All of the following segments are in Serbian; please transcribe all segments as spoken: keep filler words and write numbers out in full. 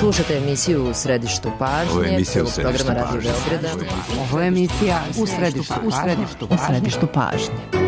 Slušate emisiju U središtu pažnje. Ovo je emisija U središtu programa Radio pažnje. Beograda. Ovo je emisija U središtu, u središtu, u središtu pažnje.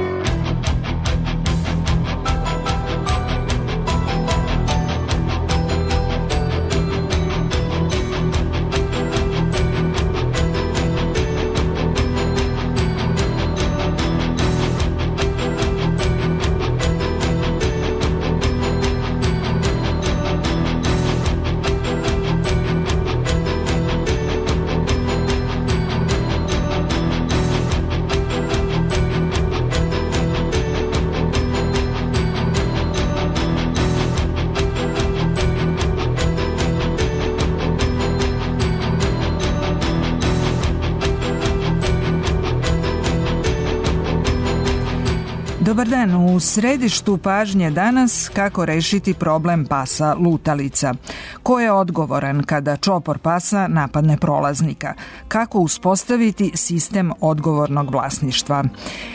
Dobar dan, u središtu pažnje danas kako rešiti problem pasa lutalica. Ko je odgovoran kada čopor pasa napadne prolaznika? Kako uspostaviti sistem odgovornog vlasništva?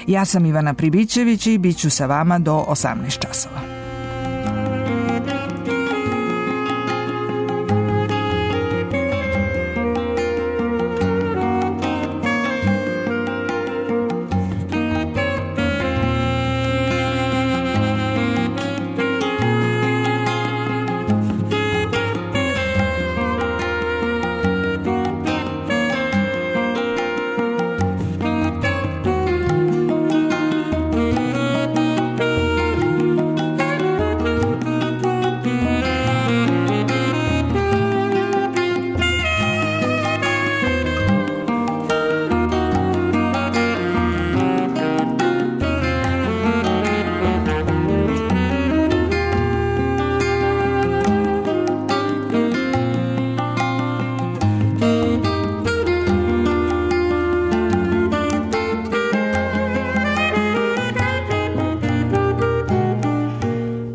Ja sam Ivana Pribićević i bit ću sa vama do osamnaest časova.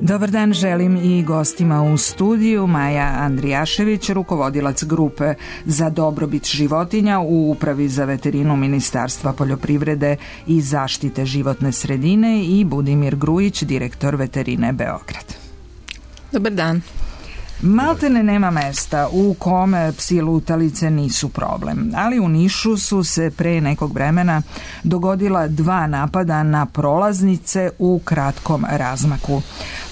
Dobar dan želim i gostima u studiju. Maja Andrijašević, rukovodilac grupe za dobrobit životinja u Upravi za veterinu Ministarstva poljoprivrede i zaštite životne sredine, i Budimir Grujić, direktor veterine Beograd. Dobar dan. Maltene nema mesta u kome psi lutalice nisu problem, ali u Nišu su se pre nekog vremena dogodila dva napada na prolaznice u kratkom razmaku.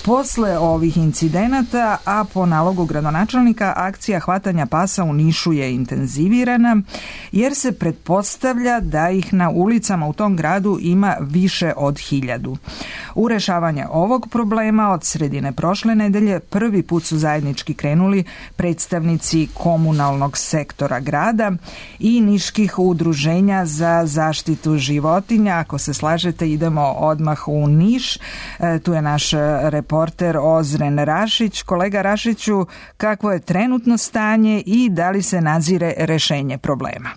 Posle ovih incidenata, a po nalogu gradonačelnika, akcija hvatanja pasa u Nišu je intenzivirana, jer se pretpostavlja da ih na ulicama u tom gradu ima više od hiljadu. U rešavanje ovog problema od sredine prošle nedelje prvi put su zajednički krenuli predstavnici komunalnog sektora grada i niških udruženja za zaštitu životinja. Ako se slažete, idemo odmah u Niš. E, tu je naš reporter Ozren Rašić. Kolega Rašiću, kakvo je trenutno stanje i da li se nadzire rešenje problema?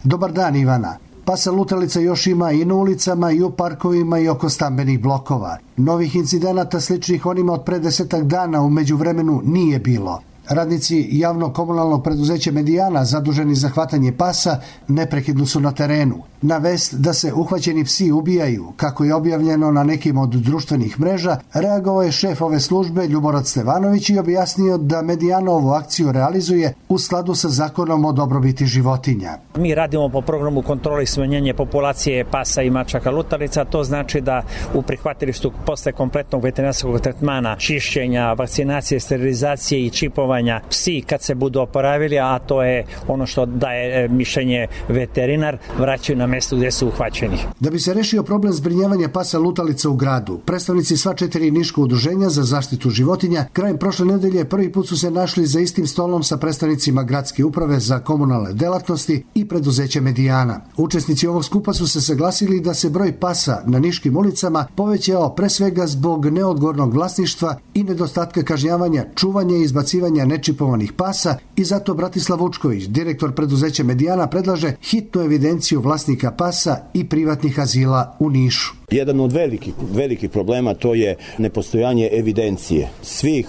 Dobar dan, Ivana. Pasa lutalica još ima i na ulicama, i u parkovima, i oko stambenih blokova. Novih incidenata sličnih onima od pre desetak dana u međuvremenu nije bilo. Radnici javnog komunalnog preduzeća Medijana, zaduženi za hvatanje pasa, neprekidno su na terenu. Na vest da se uhvaćeni psi ubijaju, kako je objavljeno na nekim od društvenih mreža, reagovao je šef ove službe Ljuborad Stevanović i objasnio da Medijana ovu akciju realizuje u skladu sa zakonom o dobrobiti životinja. Mi radimo po programu kontrole i smanjenja populacije pasa i mačaka lutalica. To znači da u prihvatilištu posle kompletnog veterinarskog tretmana, čišćenja, vakcinacije, sterilizacije i čipovanja, psi kad se budu oporavili, a to je ono što daje mišljenje veterinar, vraćaju na mesto gdje su uhvaćeni. Da bi se rešio problem zbrinjavanja pasa lutalica u gradu, predstavnici sva četiri niška udruženja za zaštitu životinja krajem prošle nedelje prvi put su se našli za istim stolom sa predstavnicima gradske uprave za komunalne delatnosti i preduzeća Medijana. Učesnici ovog skupa su se saglasili da se broj pasa na niškim ulicama povećao pre svega zbog neodgovornog vlasništva i nedostatka kažnjavanja, čuvanja i izbacivanja nečipovanih pasa, i zato Bratislav Vučković, direktor preduzeća Medijana, predlaže hitnu evidenciju vlasnika pasa i privatnih azila u Nišu. Jedan od velikih, velikih problema to je nepostojanje evidencije svih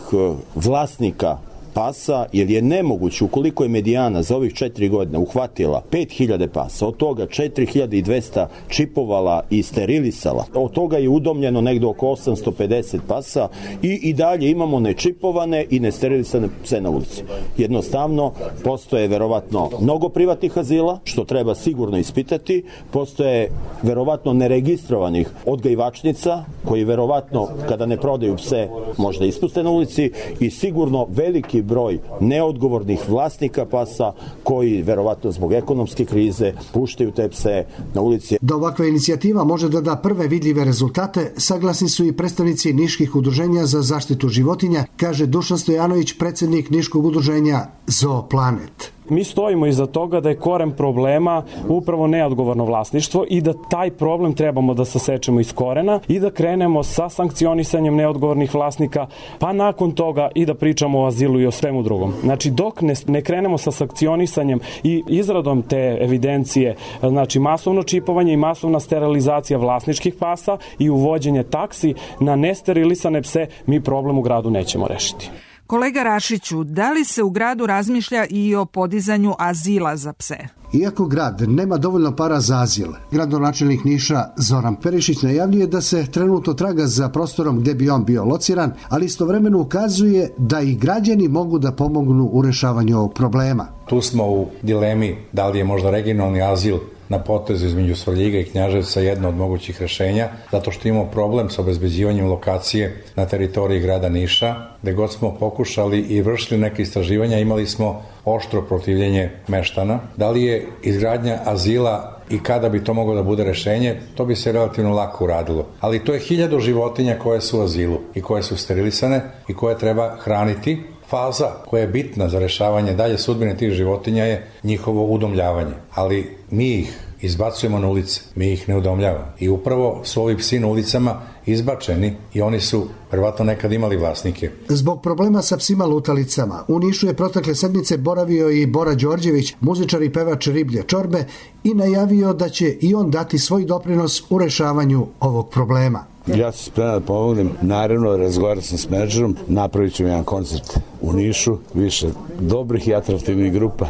vlasnika pasa, jer je nemoguće, ukoliko je medijana za ovih četiri godine uhvatila pet hiljada pasa, od toga četiri hiljade dvesta čipovala i sterilisala, od toga je udomljeno negde oko osamsto pedeset pasa i i dalje imamo nečipovane i nesterilisane pse na ulici. Jednostavno, postoje verovatno mnogo privatnih azila, što treba sigurno ispitati, postoje verovatno neregistrovanih odgajivačnica, koji verovatno kada ne prodaju pse možda ispuste na ulici i sigurno veliki broj neodgovornih vlasnika pasa koji verovatno zbog ekonomske krize puštaju te pse na ulici. Da ovakva inicijativa može da da prve vidljive rezultate, saglasni su i predstavnici niških udruženja za zaštitu životinja, kaže Dušan Stojanović, predsjednik niškog udruženja Zooplanet. Mi stojimo iza toga da je koren problema upravo neodgovorno vlasništvo i da taj problem trebamo da sasečemo iz korena i da krenemo sa sankcionisanjem neodgovornih vlasnika, pa nakon toga i da pričamo o azilu i o svemu drugom. Znači, dok ne, ne krenemo sa sankcionisanjem i izradom te evidencije, znači masovno čipovanje i masovna sterilizacija vlasničkih pasa i uvođenje taksi na nesterilisane pse, mi problem u gradu nećemo rešiti. Kolega Rašiću, da li se u gradu razmišlja i o podizanju azila za pse? Iako grad nema dovoljno para za azil, gradonačelnik Niša Zoran Perišić najavljuje da se trenutno traga za prostorom gde bi on bio lociran, ali istovremeno ukazuje da i građani mogu da pomognu u rešavanju ovog problema. Tu smo u dilemi da li je možda regionalni azil na potezu između Svrljiga i Knjaževca jedno od mogućih rešenja, zato što imamo problem sa obezbeđivanjem lokacije na teritoriji grada Niša, gde god smo pokušali i vršili neke istraživanja, imali smo oštro protivljenje meštana. Da li je izgradnja azila i kada bi to moglo da bude rešenje, to bi se relativno lako uradilo. Ali to je hiljadu životinja koje su u azilu i koje su sterilisane i koje treba hraniti. Faza koja je bitna za rešavanje dalje sudbine tih životinja je njihovo udomljavanje, ali mi ih izbacujemo na ulice, mi ih ne udomljavamo. I upravo su ovi psi na ulicama izbačeni i oni su verovatno nekad imali vlasnike. Zbog problema sa psima lutalicama, u Nišu je protekle sedmice boravio i Bora Đorđević, muzičar i pevač Riblje čorbe, i najavio da će i on dati svoj doprinos u rešavanju ovog problema. Ja sam spreman da pomognem, naravno razgovaram sam s menadžerom, napravit ćemo jedan koncert u Nišu, više dobrih i atraktivnih grupa,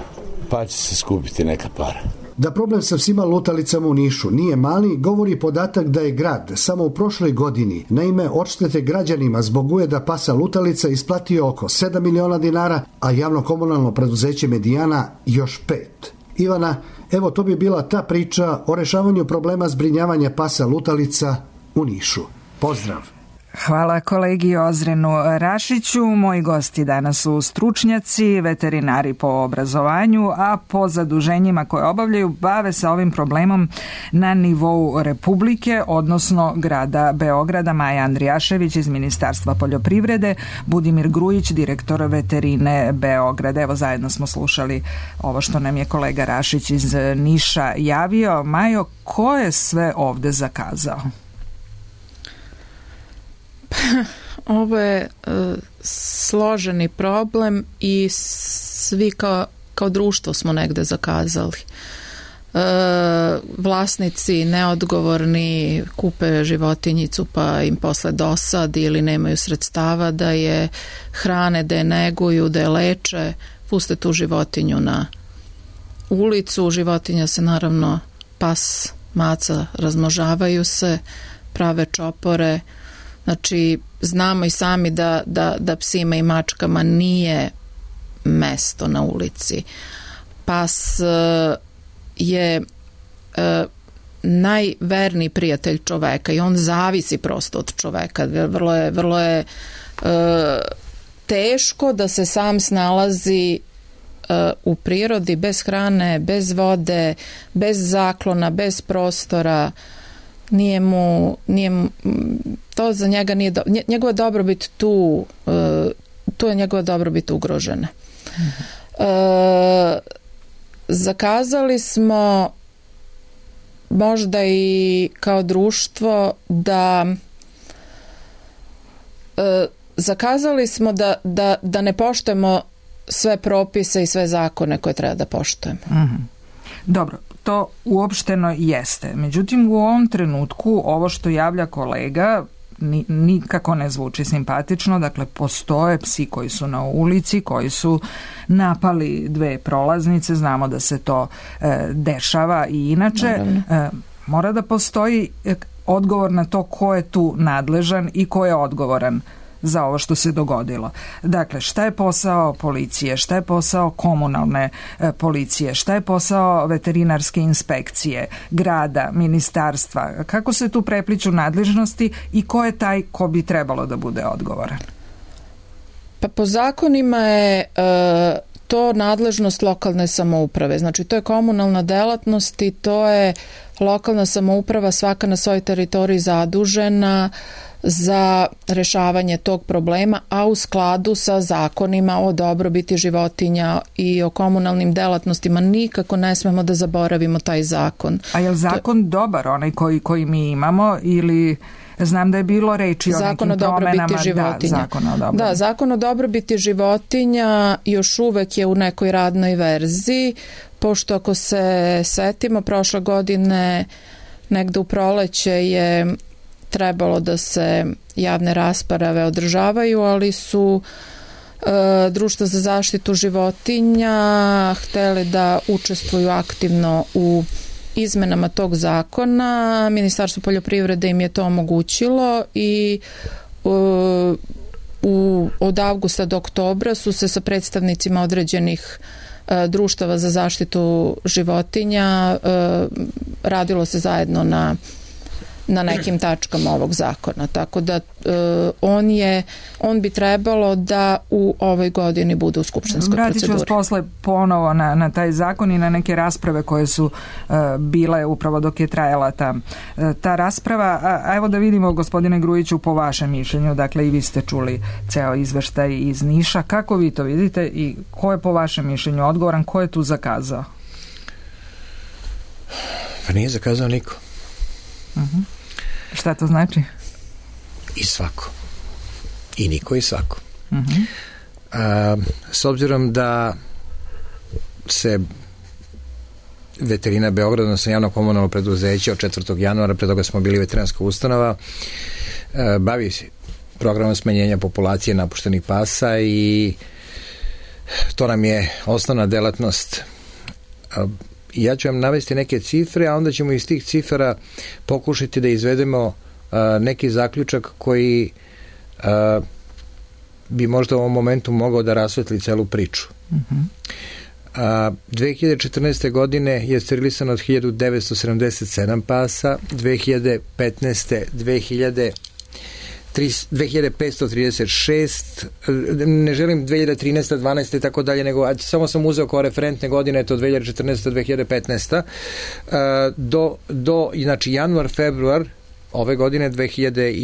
pa će se skupiti neka para. Da problem sa psima lutalicama u Nišu nije mali, govori podatak da je grad samo u prošloj godini na ime odštete građanima zbog ujeda pasa lutalica isplatio oko sedam miliona dinara, a javno-komunalno preduzeće Medijana još pet. Ivana, evo to bi bila ta priča o rešavanju problema zbrinjavanja pasa lutalica u Nišu. Pozdrav! Hvala kolegi Ozrenu Rašiću. Moji gosti danas su stručnjaci, veterinari po obrazovanju, a po zaduženjima koje obavljaju bave se ovim problemom na nivou Republike, odnosno grada Beograda. Maja Andrijašević iz Ministarstva poljoprivrede, Budimir Grujić, direktor veterine Beograda. Evo, zajedno smo slušali ovo što nam je kolega Rašić iz Niša javio. Majo, ko je sve ovde zakazao? Ovo je uh, složeni problem i svi kao, kao društvo smo negde zakazali. Uh, vlasnici neodgovorni kupe životinjicu pa im posle dosadi ili nemaju sredstava da je hrane, da je neguju, da je leče, puste tu životinju na ulicu. Životinja se naravno, pas, maca, razmnožavaju se, prave čopore. Znači, znamo i sami da, da, da psima i mačkama nije mesto na ulici. Pas uh, je uh, najverniji prijatelj čoveka i on zavisi prosto od čoveka. Vrlo je, vrlo je uh, teško da se sam snalazi uh, u prirodi bez hrane, bez vode, bez zaklona, bez prostora. Nije mu, nije mu, to za njega nije, do, njegova dobrobit tu, uh, tu je njegova dobrobit ugrožena. Mm-hmm. Uh, zakazali smo možda i kao društvo da uh, zakazali smo da, da, da ne poštujemo sve propise i sve zakone koje treba da poštujemo. Mm-hmm. Dobro, to uopšteno jeste. Međutim, u ovom trenutku ovo što javlja kolega ni, nikako ne zvuči simpatično. Dakle, postoje psi koji su na ulici, koji su napali dve prolaznice, znamo da se to e, dešava i inače e, mora da postoji odgovor na to ko je tu nadležan i ko je odgovoran za ovo što se dogodilo. Dakle, šta je posao policije, šta je posao komunalne e, policije, šta je posao veterinarske inspekcije, grada, ministarstva, kako se tu prepliču nadležnosti i ko je taj ko bi trebalo da bude odgovoran? Pa po zakonima je e, to nadležnost lokalne samouprave. Znači, to je komunalna delatnost i to je lokalna samouprava svaka na svojoj teritoriji zadužena za rešavanje tog problema, a u skladu sa zakonima o dobrobiti životinja i o komunalnim delatnostima. Nikako ne smemo da zaboravimo taj zakon. A je li zakon to... dobar, onaj koji, koji mi imamo, ili... Znam da je bilo reči o zakon nekim promenama. Da, zakon o dobrobiti. Da, zakon o dobrobiti životinja još uvek je u nekoj radnoj verziji, pošto ako se setimo, prošle godine negde u proleće je trebalo da se javne rasprave održavaju, ali su e, društva za zaštitu životinja hteli da učestvuju aktivno u izmenama tog zakona. Ministarstvo poljoprivrede im je to omogućilo i u, u, od avgusta do oktobra su se sa predstavnicima određenih e, društava za zaštitu životinja e, radilo se zajedno na na nekim tačkama ovog zakona. Tako da uh, on je, on bi trebalo da u ovoj godini bude u skupštinskoj proceduri. Vratit ću vas posle ponovo na, na taj zakon i na neke rasprave koje su uh, bile upravo dok je trajala ta, uh, ta rasprava. A, a evo da vidimo, gospodine Grujiću, po vašem mišljenju, dakle i vi ste čuli ceo izveštaj iz Niša. Kako vi to vidite i ko je po vašem mišljenju odgovoran, ko je tu zakazao? Pa nije zakazao niko. Uh-huh. Šta to znači? I svako. I niko i svako. Uh-huh. A, s obzirom da se veterina Beograda, odnosno javno komunalno preduzeće od četvrtog januara, pre toga smo bili veterinarska ustanova, a, bavi se programom smanjenja populacije napuštenih pasa i to nam je osnovna delatnost. A, ja ću vam navesti neke cifre, a onda ćemo iz tih cifara pokušati da izvedemo uh, neki zaključak koji uh, bi možda u ovom momentu mogao da rasvetli celu priču. Uh-huh. Uh, dve hiljade četrnaeste. godine je sterilisano od hiljadu devetsto sedamdeset sedam pasa, dve hiljade petnaeste. dve hiljade dve hiljade petsto trideset šest, ne želim dve hiljade trinaeste. dvanaeste. i tako dalje, nego samo sam uzeo kao referentne godine, to dve hiljade četrnaeste. dve hiljade petnaeste. do, do znači januar, februar ove godine dve hiljade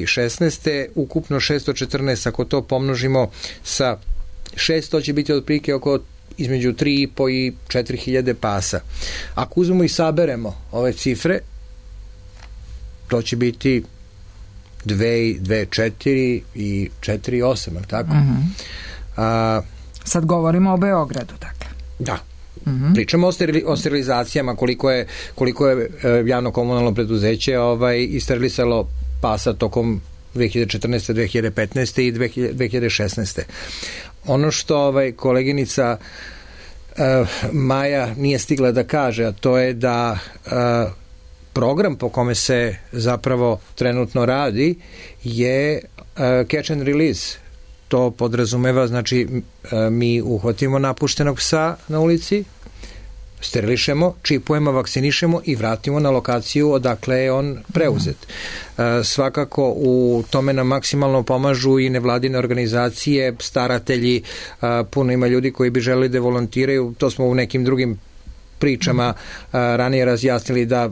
šesnaeste. ukupno šesto četrnaest, ako to pomnožimo sa šesto, će biti otprilike oko između tri i po i četiri hiljade pasa. Ako uzmemo i saberemo ove cifre, to će biti dve, dve, četiri i četiri, osam, tako? Uh-huh. A, Sad govorimo o Beogradu, dakle. Da. Uh-huh. Pričamo o, sterili, o sterilizacijama, koliko je, koliko je javno komunalno preduzeće ovaj, isterilisalo pasa tokom dve hiljade četrnaeste. dve hiljade petnaeste. i dve hiljade šesnaeste. Ono što ovaj, koleginica uh, Maja nije stigla da kaže, a to je da uh, program po kome se zapravo trenutno radi je uh, catch and release. To podrazumeva, znači uh, mi uhvatimo napuštenog psa na ulici, sterilišemo, čipujemo, vakcinišemo i vratimo na lokaciju odakle je on preuzet. Uh, svakako u tome nam maksimalno pomažu i nevladine organizacije, staratelji, uh, puno ima ljudi koji bi želeli da volontiraju, to smo u nekim drugim pričama uh, ranije razjasnili da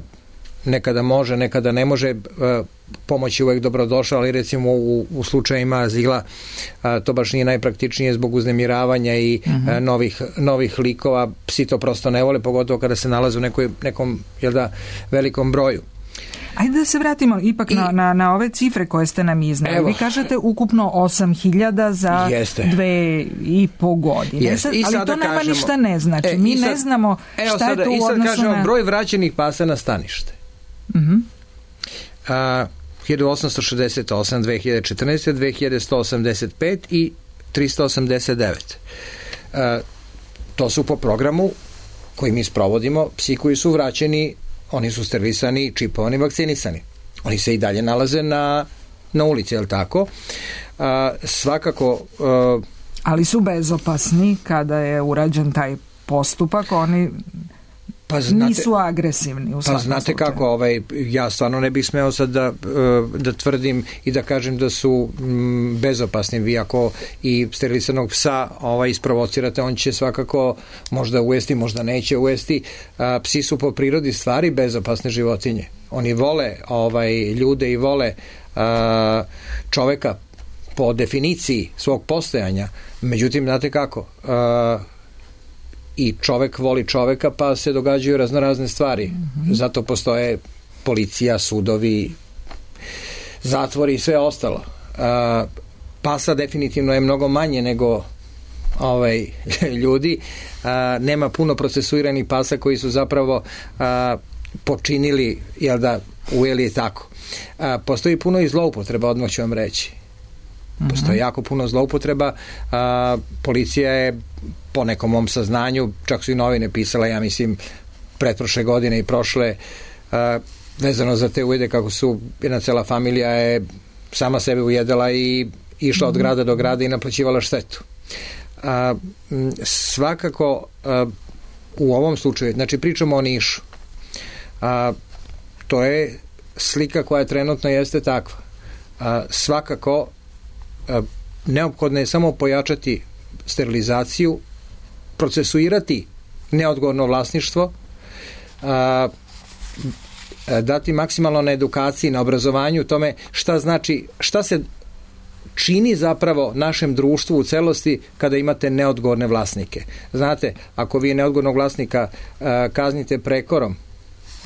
nekada može, nekada ne može, pomoć je uvek dobrodošla, ali recimo u, u slučajima azila to baš nije najpraktičnije zbog uznemiravanja i uh-huh. novih, novih likova. Psi to prosto ne vole, pogotovo kada se nalaze u nekoj, nekom jel da, velikom broju. Ajde da se vratimo ipak I, na, na, na ove cifre koje ste nam iznali. Evo, vi kažete ukupno osam hiljada za jeste. dve i po godine. Sad, ali to nama kažemo, ništa ne znači. E, Mi sad, ne znamo šta sada, je to u odnosu na... I sad kažemo broj vraćenih pasa na stanište. Uh-huh. A, hiljadu osamsto šezdeset osam dve hiljade četrnaeste, dve hiljade sto osamdeset pet i trista osamdeset devet. E, to su po programu koji mi sprovodimo, psi koji su vraćeni, oni su sterilisani, čipovani, vakcinisani. Oni se i dalje nalaze na, na ulici, je li tako? A, svakako... A, ali su bezopasni kada je urađen taj postupak, oni pa znate, nisu agresivni u svakom pa znate slučaju. Kako, ovaj, ja stvarno ne bih smeo sad da, da tvrdim i da kažem da su m, bezopasni. Vi ako i sterilisanog psa ovaj, isprovocirate, on će svakako možda ujesti, možda neće ujesti. A, psi su po prirodi stvari bezopasne životinje. Oni vole ovaj, ljude i vole a, čoveka po definiciji svog postojanja. Međutim, znate kako, a, i čovek voli čoveka, pa se događaju raznorazne stvari. Mm-hmm. Zato postoje policija, sudovi, zatvori i sve ostalo. A, pasa definitivno je mnogo manje nego ovaj, ljudi. A, nema puno procesuiranih pasa koji su zapravo a, počinili, jel da, ujeli je tako. A, postoji puno i zloupotreba, odmah ću vam reći. Postoji jako puno zloupotreba. A, policija je po nekom mom saznanju, čak su i novine pisale, ja mislim, pretprošle godine i prošle, a, vezano za te ujede, kako su jedna cela familija je sama sebe ujedala i išla od grada do grada i naplaćivala štetu. A, m, svakako a, u ovom slučaju, znači pričamo o Nišu, a, to je slika koja trenutno jeste takva. A, svakako a, neophodno je samo pojačati sterilizaciju, procesuirati neodgovorno vlasništvo, a, a, dati maksimalno na edukaciji, na obrazovanju, tome šta znači, šta se čini zapravo našem društvu u celosti kada imate neodgovorne vlasnike. Znate, ako vi neodgovornog vlasnika a, kaznite prekorom,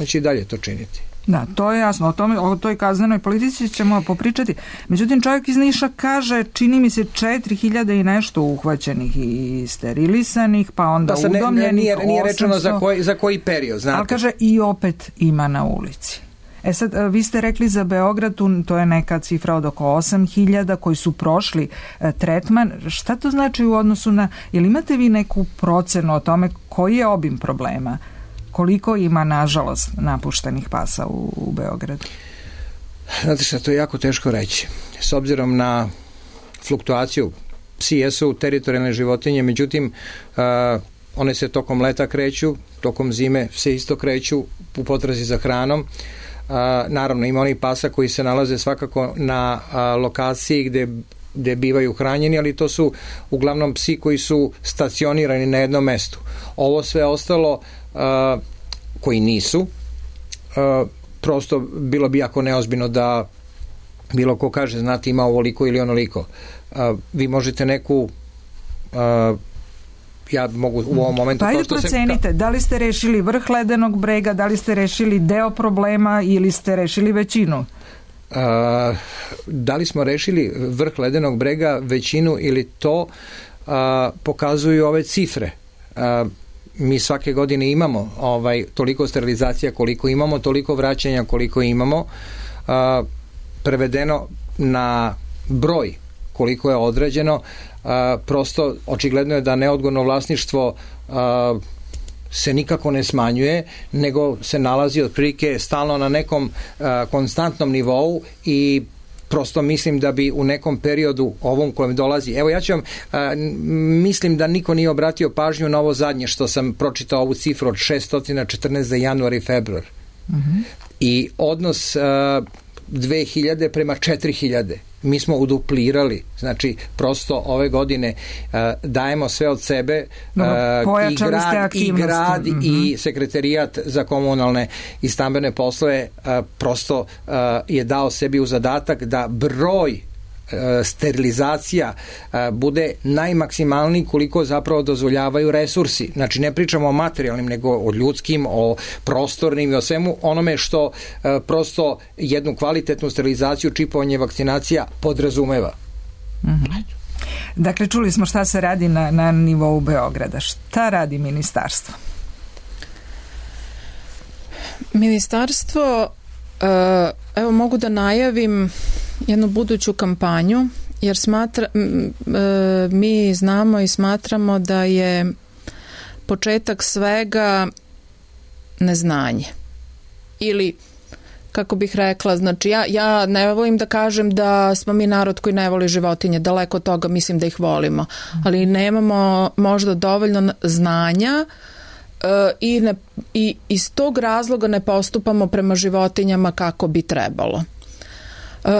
on će i dalje to činiti. Da, to je jasno. O, tome, o toj kaznenoj politici ćemo popričati. Međutim, čovjek iz Niša kaže, čini mi se četiri hiljade i nešto uhvaćenih i sterilisanih, pa onda pa udomljenih ne, nije, nije rečeno za koji, za koji period, znate. Ali kaže, i opet ima na ulici. E sad, vi ste rekli za Beograd, to je neka cifra od oko osam hiljada koji su prošli e, tretman. Šta to znači u odnosu na... Jel imate vi neku procenu o tome koji je obim problema? Koliko ima, nažalost, napuštenih pasa u, u Beogradu? Znate šta, to je jako teško reći. S obzirom na fluktuaciju, psi jesu teritorijalne životinje, međutim, uh, one se tokom leta kreću, tokom zime se isto kreću u potrazi za hranom. Uh, naravno, ima onih pasa koji se nalaze svakako na uh, lokaciji gde gde bivaju hranjeni, ali to su uglavnom psi koji su stacionirani na jednom mestu. Ovo sve ostalo uh, koji nisu, uh, prosto bilo bi jako neozbiljno da bilo ko kaže, znate, ima ovoliko ili onoliko. Uh, vi možete neku uh, ja mogu u ovom momentu... Pa ajde procenite, se... da li ste rešili vrh ledenog brega, da li ste rešili deo problema ili ste rešili većinu? Uh, da li smo rešili vrh ledenog brega, većinu ili to uh, pokazuju ove cifre. Uh, mi svake godine imamo ovaj, toliko sterilizacija koliko imamo, toliko vraćanja koliko imamo, uh, prevedeno na broj koliko je određeno, uh, prosto očigledno je da neodgovorno vlasništvo uh, se nikako ne smanjuje, nego se nalazi otprilike stalno na nekom uh, konstantnom nivou i prosto mislim da bi u nekom periodu ovom kojem dolazi, evo ja ću vam, uh, mislim da niko nije obratio pažnju na ovo zadnje što sam pročitao ovu cifru od šessto četrnaest za januar i februar. Mm-hmm. I odnos uh, dve hiljade prema četiri hiljade. Mi smo uduplirali, znači prosto ove godine uh, dajemo sve od sebe, uh, i grad, i, grad mm-hmm. i sekretarijat za komunalne i stambene poslove uh, prosto uh, je dao sebi u zadatak da broj sterilizacija bude najmaksimalniji koliko zapravo dozvoljavaju resursi. Znači ne pričamo o materijalnim, nego o ljudskim, o prostornim i o svemu onome što prosto jednu kvalitetnu sterilizaciju, čipovanje, vakcinacija podrazumeva. Mm-hmm. Dakle, čuli smo šta se radi na, na nivou Beograda. Šta radi ministarstvo? Ministarstvo uh, evo mogu da najavim jednu buduću kampanju, jer smatra, mi znamo i smatramo da je početak svega neznanje. Ili, kako bih rekla, znači ja, ja ne volim da kažem da smo mi narod koji ne voli životinje, daleko od toga, mislim da ih volimo, ali nemamo možda dovoljno znanja uh, i, ne, i iz tog razloga ne postupamo prema životinjama kako bi trebalo. Uh,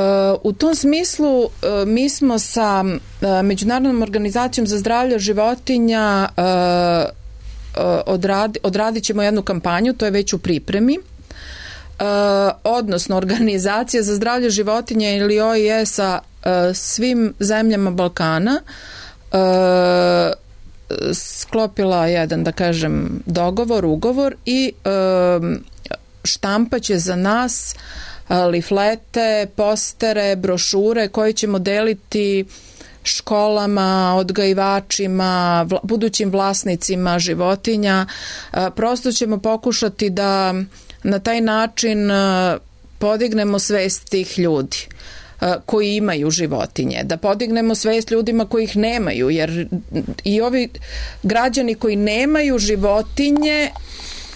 u tom smislu uh, mi smo sa uh, Međunarodnom organizacijom za zdravlje životinja uh, uh, odradi, odradit ćemo jednu kampanju, to je već u pripremi. Uh, odnosno Organizacija za zdravlje životinja ili O I E sa uh, svim zemljama Balkana uh, sklopila jedan, da kažem, dogovor, ugovor i uh, štampaće za nas uh, liflete, postere, brošure koje ćemo deliti školama, odgajivačima, vla, budućim vlasnicima životinja. Uh, prosto ćemo pokušati da na taj način podignemo svest tih ljudi koji imaju životinje, da podignemo svest ljudima koji ih nemaju, jer i ovi građani koji nemaju životinje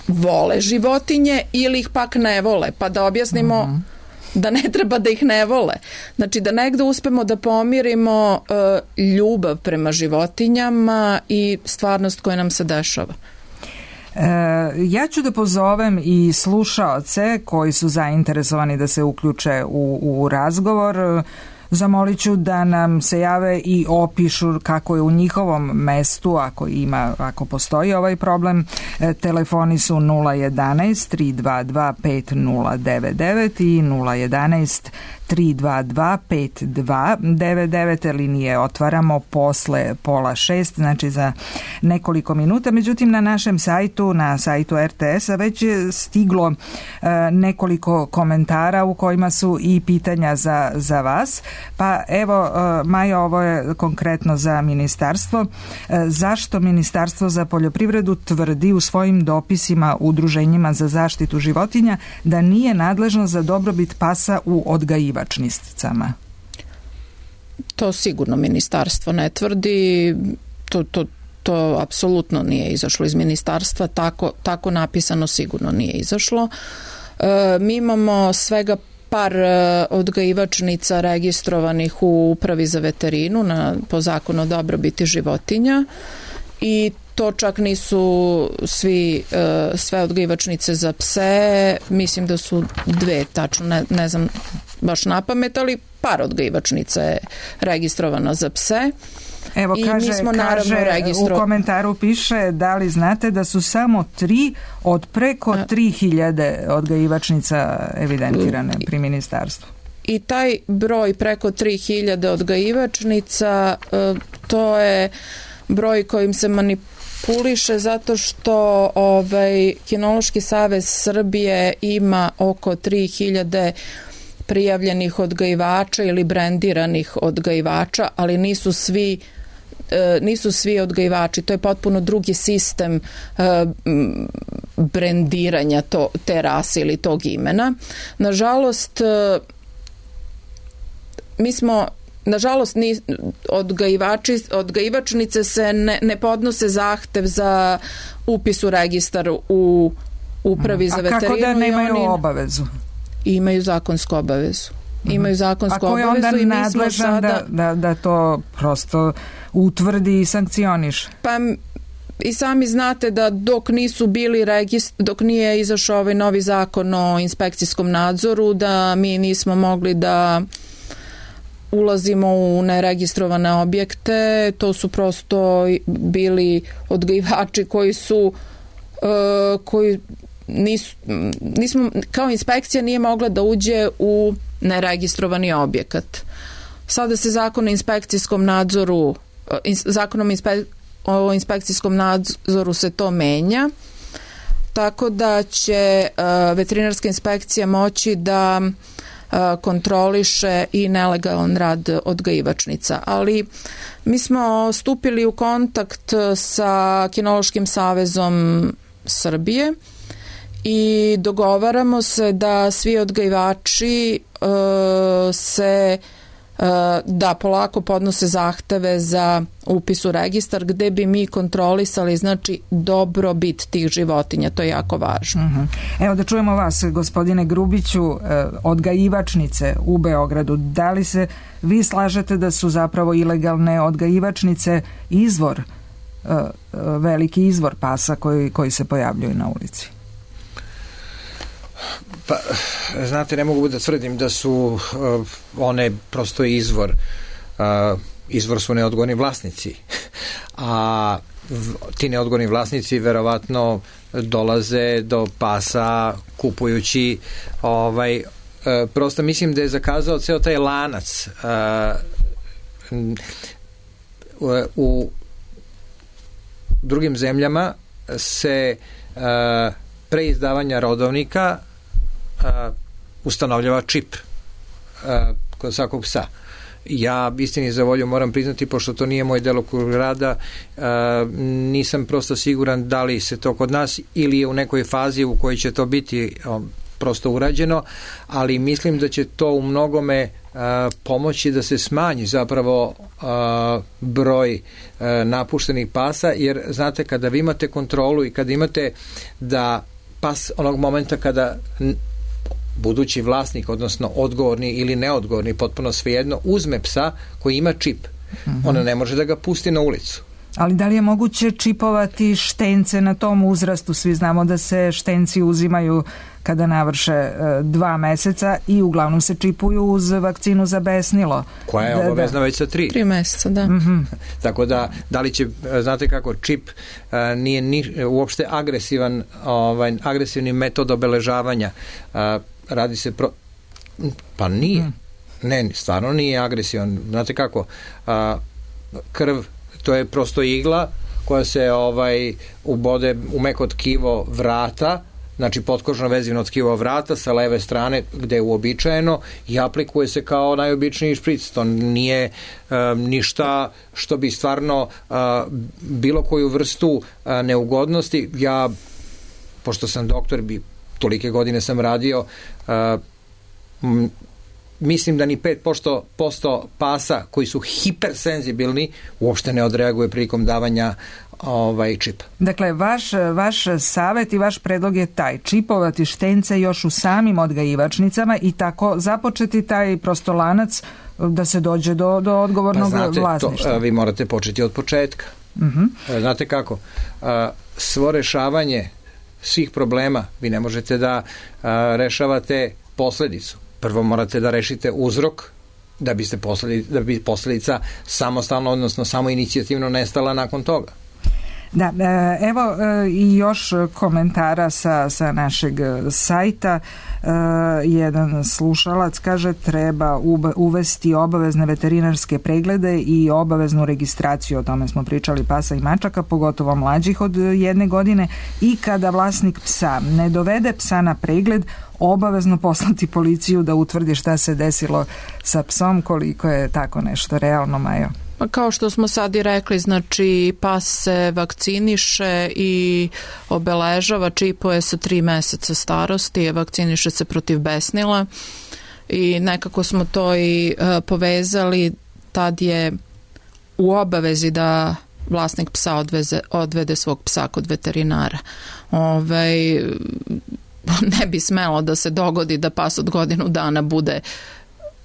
vole životinje ili ih pak ne vole, pa da objasnimo uh-huh. da ne treba da ih ne vole. Znači da negde uspemo da pomirimo uh, ljubav prema životinjama i stvarnost koja nam se dešava. Ja ću da pozovem i slušaoce koji su zainteresovani da se uključe u, u razgovor. Zamolit ću da nam se jave i opišu kako je u njihovom mestu, ako ima, ako postoji ovaj problem. Telefoni su nula jedanaest tri dva dva pet nula devet devet i nula jedanaest tri dva dva pet dva devet devet. Linije otvaramo posle pola šest, znači za nekoliko minuta. Međutim, na našem sajtu, na sajtu R T S-a već je stiglo e, nekoliko komentara u kojima su i pitanja za, za vas. Pa evo, e, Maja, ovo je konkretno za ministarstvo. E, zašto Ministarstvo za poljoprivredu tvrdi u svojim dopisima udruženjima za zaštitu životinja da nije nadležno za dobrobit pasa u odgajivačnicama? To sigurno ministarstvo ne tvrdi, to, to, to apsolutno nije izašlo iz ministarstva, tako, tako napisano sigurno nije izašlo. E, mi imamo svega par odgajivačnica registrovanih u Upravi za veterinu na, po zakonu o dobrobiti životinja i to čak nisu svi, sve odgajivačnice za pse, mislim da su dve, tačno ne, ne znam baš na pamet, ali par odgajivačnica je registrovano za pse. Evo, i kaže, mi smo kaže registro... u komentaru piše da li znate da su samo tri od preko tri hiljade odgajivačnica evidentirane pri ministarstvu. I taj broj preko tri hiljade odgajivačnica, to je broj kojim se manipuliše zato što ovaj, Kinološki savez Srbije ima oko tri hiljade prijavljenih odgajivača ili brendiranih odgajivača, ali nisu svi nisu svi odgajivači, to je potpuno drugi sistem brendiranja to, te rase ili tog imena. Nažalost, mi smo Nažalost, ni, odgajivači, odgajivačnice se ne, ne podnose zahtev za upis u registar u Upravi za veterinu. A kako da nemaju oni obavezu? Imaju zakonsku obavezu. Imaju zakonsku obavezu. obavezu. A ko je onda nadležan sada... da, da, da to prosto utvrdi i sankcioniše? Pa i sami znate da dok nisu bili regist, dok nije izašao ovaj novi zakon o inspekcijskom nadzoru, da mi nismo mogli da ulazimo u neregistrovane objekte, to su prosto bili odgajivači koji su uh, koji nisu, nismo, kao inspekcija nije mogla da uđe u neregistrovani objekat. Sada se zakon o inspekcijskom nadzoru zakonom inspe, o inspekcijskom nadzoru se to menja, tako da će uh, veterinarska inspekcija moći da kontroliše i nelegalan rad odgajivačnica. Ali mi smo stupili u kontakt sa Kinološkim savezom Srbije i dogovaramo se da svi odgajivači uh, se uh, da polako podnose zahteve za upis u registar gde bi mi kontrolisali znači dobrobit tih životinja, to je jako važno. Uh-huh. Evo da čujemo vas, gospodine Grubiću, odgajivačnice u Beogradu. Da li se vi slažete da su zapravo ilegalne odgajivačnice izvor, veliki izvor pasa koji, koji se pojavljuju na ulici? Pa, znate, ne mogu da tvrdim da su uh, one prosto izvor. Uh, izvor su neodgovorni vlasnici. A v, ti neodgovorni vlasnici verovatno dolaze do pasa kupujući ovaj, uh, prosto mislim da je zakazao ceo taj lanac uh, u, u drugim zemljama se uh, pre izdavanja rodovnika Uh, ustanovljava čip uh, kod svakog psa. Ja istini za volju moram priznati, pošto to nije moj delokrug rada, uh, nisam prosto siguran da li se to kod nas ili je u nekoj fazi u kojoj će to biti um, prosto urađeno, ali mislim da će to u mnogome uh, pomoći da se smanji zapravo uh, broj uh, napuštenih pasa, jer znate, kada vi imate kontrolu i kada imate da pas onog momenta kada budući vlasnik, odnosno odgovorni ili neodgovorni, potpuno svejedno, uzme psa koji ima čip, mm-hmm. ona ne može da ga pusti na ulicu. Ali da li je moguće čipovati štence na tom uzrastu? Svi znamo da se štenci uzimaju kada navrše e, dva meseca i uglavnom se čipuju uz vakcinu za besnilo. Koja je da, obavezna da. već sa tri. Tri meseca, da. Mm-hmm. Tako da, da li će, znate kako, čip a, nije ni, uopšte agresivan, ovaj, agresivni metod obeležavanja. A, radi se pro... Pa nije. Mm. Ne, stvarno nije agresivan. Znate kako, a, krv, to je prosto igla koja se ovaj ubode u meko tkivo vrata, znači potkožno vezivno tkivo vrata sa leve strane gde je uobičajeno i aplikuje se kao najobičniji špric. To nije um, ništa što bi stvarno uh, bilo koju vrstu uh, neugodnosti. Ja, pošto sam doktor, bi tolike godine sam radio, uh, m, mislim da ni pet posto pasa koji su hipersenzibilni uopšte ne odreaguje prilikom davanja ovaj čipa. Dakle, vaš, vaš savjet i vaš predlog je taj, čipovati štence još u samim odgajivačnicama i tako započeti taj prosto lanac da se dođe do, do odgovornog pa znate, vlasništva. To, vi morate početi od početka. Uh-huh. Znate kako, svo rešavanje svih problema, vi ne možete da rešavate posledicu. Prvo morate da rešite uzrok da biste posledica, da bi posledica samostalno, odnosno samo inicijativno nestala nakon toga. Da, evo i još komentara sa, sa našeg sajta. Jedan slušalac kaže treba uvesti obavezne veterinarske preglede i obaveznu registraciju, o tome smo pričali, pasa i mačaka, pogotovo mlađih od jedne godine, i kada vlasnik psa ne dovede psa na pregled, obavezno poslati policiju da utvrdi šta se desilo sa psom. Koliko je tako nešto realno, Majo? Pa kao što smo sad i rekli, znači pas se vakciniše i obeležava, čipuje sa tri meseca starosti, vakciniše se protiv besnila i nekako smo to i uh, povezali. Tad je u obavezi da vlasnik psa odveze, odvede svog psa kod veterinara. Ovaj, ne bi smelo da se dogodi da pas od godinu dana bude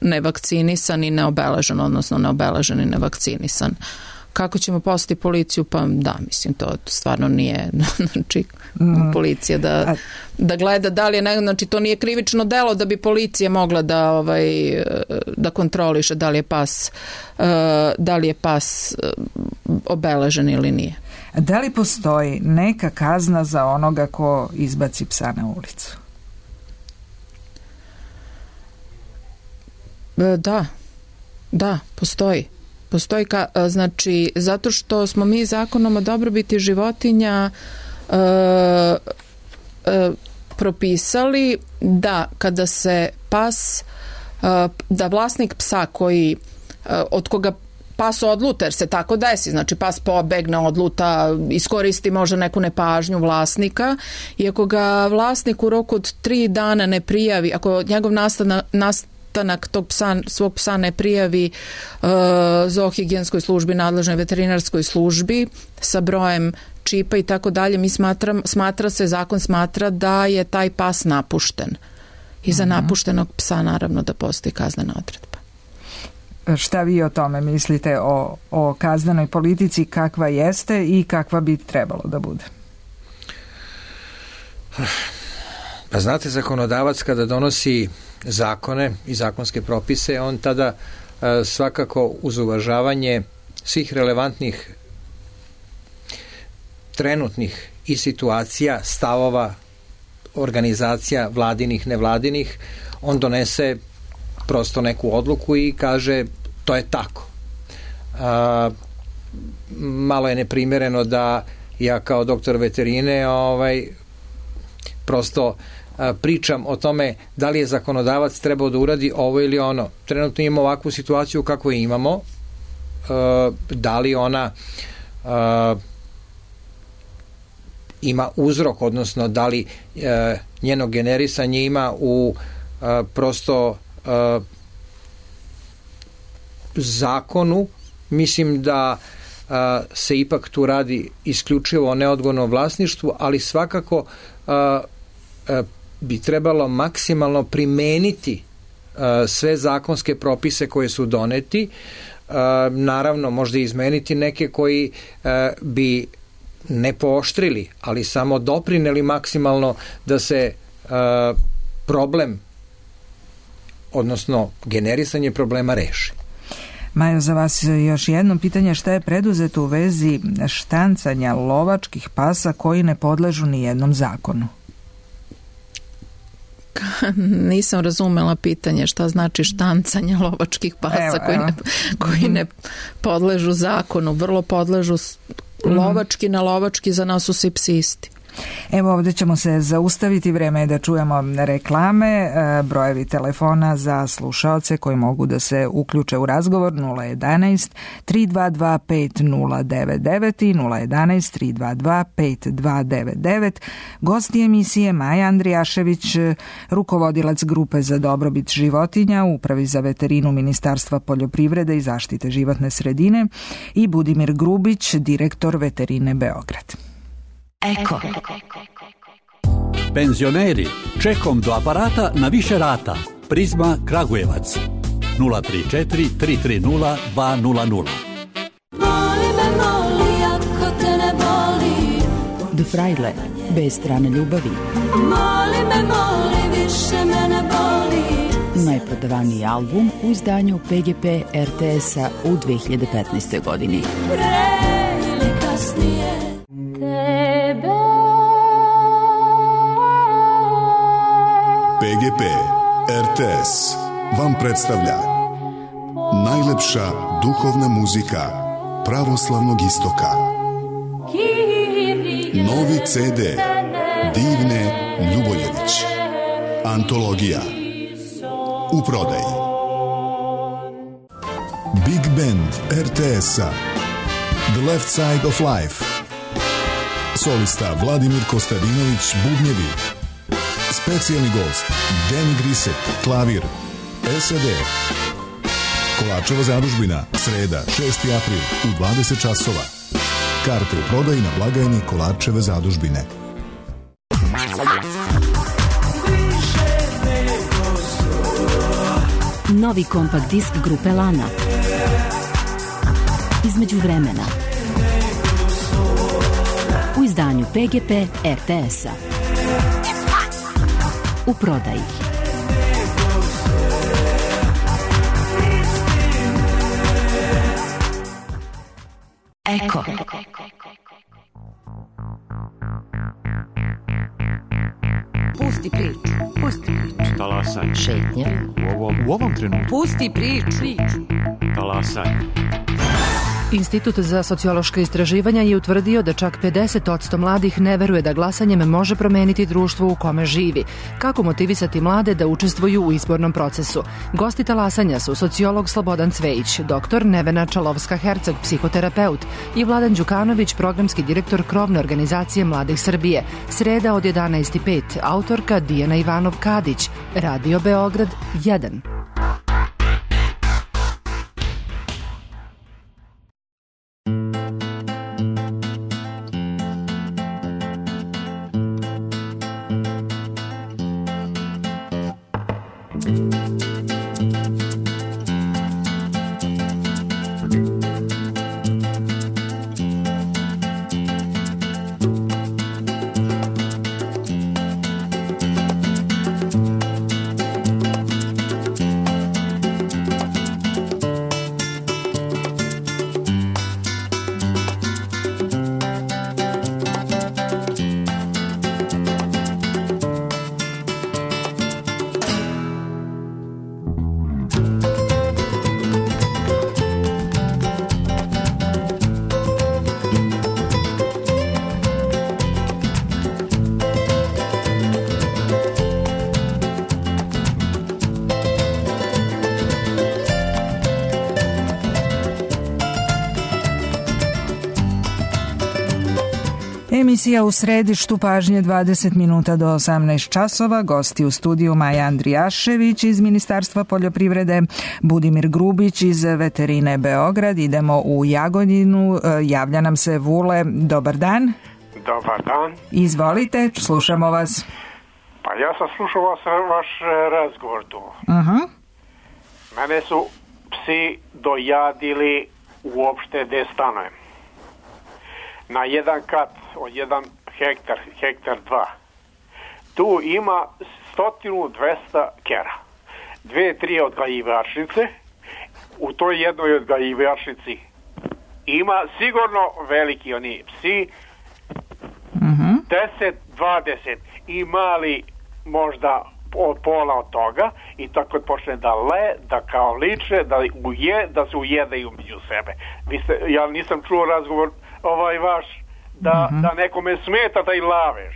nevakcinisan i neobeležen, odnosno neobeležen i nevakcinisan. Kako ćemo poslati policiju? Pa da, mislim, to stvarno nije znači, mm. policija da, da gleda da li je ne, znači to nije krivično delo da bi policija mogla da ovaj da kontroliše da li je pas da li je pas obeležen ili nije. Da li postoji neka kazna za onoga ko izbaci psa na ulicu? Da, da, postoji. Postoji, ka, znači, zato što smo mi zakonom o dobrobiti životinja e, e, propisali da kada se pas, e, da vlasnik psa koji, e, od koga pas odluta, jer se tako desi, znači pas pobegne, odluta, iskoristi možda neku nepažnju vlasnika i ako ga vlasnik u roku od tri dana ne prijavi, ako njegov nastanak, nastanak tog psa, svog psa ne prijavi uh, zoohigijenskoj službi, nadležnoj veterinarskoj službi sa brojem čipa i tako dalje, mi smatram, smatra se, zakon smatra da je taj pas napušten. I za napuštenog psa naravno da postoji kaznena odredba. Šta vi o tome mislite, o, o kaznenoj politici, kakva jeste i kakva bi trebalo da bude? Pa znate, zakonodavac kada donosi zakone i zakonske propise, on tada a, svakako uz uvažavanje svih relevantnih trenutnih i situacija, stavova, organizacija vladinih, nevladinih, on donese prosto neku odluku i kaže to je tako. A, malo je neprimereno da ja kao doktor veterine ovaj, prosto a, pričam o tome da li je zakonodavac trebao da uradi ovo ili ono. Trenutno imamo ovakvu situaciju kako je imamo, a, da li ona a, ima uzrok, odnosno da li e, njeno generisanje ima u e, prosto e, zakonu. Mislim da e, se ipak tu radi isključivo o neodgovornom vlasništvu, ali svakako e, e, bi trebalo maksimalno primeniti e, sve zakonske propise koje su doneti, e, naravno možda izmeniti neke koji e, bi ne pooštrili, ali samo doprineli maksimalno da se uh, problem, odnosno generisanje problema reši. Majo, za vas još jedno pitanje, šta je preduzeto u vezi štancanja lovačkih pasa koji ne podležu ni jednom zakonu? Nisam razumela pitanje šta znači štancanje lovačkih pasa evo, koji, evo. Ne, koji ne podležu zakonu, vrlo podležu lovački na lovački, za nas su svi psi isti. Evo ovdje ćemo se zaustaviti, vreme je da čujemo reklame, brojevi telefona za slušaoce koji mogu da se uključe u razgovor nula jedanaest tri dva dva pet nula devet devet i nula jedanaest tri dva dva pet dva devet devet. Gosti emisije Maja Andrijašević, rukovodilac grupe za dobrobit životinja u Upravi za veterinu Ministarstva poljoprivrede i zaštite životne sredine i Budimir Grubić, direktor Veterine Beograd. Eko. Penzioneri, čekom do aparata na više rata. Prizma Kragujevac nula tri četiri tri tri nula dva nula nula. Moli me, moli, ako te ne boli. De Frajle, bez strane ljubavi. Moli me, moli, više me ne boli. Najprodavaniji album u izdanju P G P R T S-a u dve hiljade petnaestoj godini. Pre ili kasnije tebe. P G P R T S vam predstavlja najlepša duhovna muzika pravoslavnog istoka. Novi C D Divne Ljuboljević. Antologija u prodaji. Big Band R T S-a The Left Side of Life. Solista Vladimir Kostadinović, bubnjevi. Specijalni gost Danny Griset, klavir. S A D. Kolarčeva zadužbina, sreda, šesti april u dvadeset časova. Karte u prodaji na blagajni Kolarčeve zadužbine. Novi kompakt disk grupe Lana. Između vremena. U izdanju P G P R T S-a. U prodaji. Eko. Pusti priču. Pusti priču. Talasaj. Šetnja. U ovom, u ovom trenutku. Pusti priču. Talasaj. Institut za sociološka istraživanja je utvrdio da čak pedeset posto mladih ne veruje da glasanjem može promeniti društvo u kome živi. Kako motivisati mlade da učestvuju u izbornom procesu? Gosti talasanja su sociolog Slobodan Cvejić, doktor Nevena Čalovska-Herceg, psihoterapeut, i Vladan Đukanović, programski direktor krovne organizacije Mladih Srbije. Sreda od jedanaest i pet, autorka Dijana Ivanov-Kadić, Radio Beograd jedan. Emisija U središtu pažnje dvadeset minuta do osamnaest časova. Gosti u studiju Maja Andrijašević iz Ministarstva poljoprivrede, Budimir Grubić iz Veterine Beograd. Idemo u Jagodinu. Javlja nam se Vule. Dobar dan. Dobar dan. Izvolite, slušamo vas. Pa ja sam slušao vas, vaš razgovor tu. Uh-huh. Mene su psi dojadili uopšte gde stanujem. Na jedan kat od jedan hektar, hektar dva. Tu ima stotinu dvesta kera. Dve, tri odgajivačnice. U toj jednoj odgajivačnici ima sigurno veliki oni psi. Uh-huh. deset, dvadeset i mali možda od pola od toga i tako počne da le, da kao liče, da uje, da se ujedaju među sebe. Vi ste, ja nisam čuo razgovor ovaj vaš da, uh-huh. da nekome smeta da i laveš.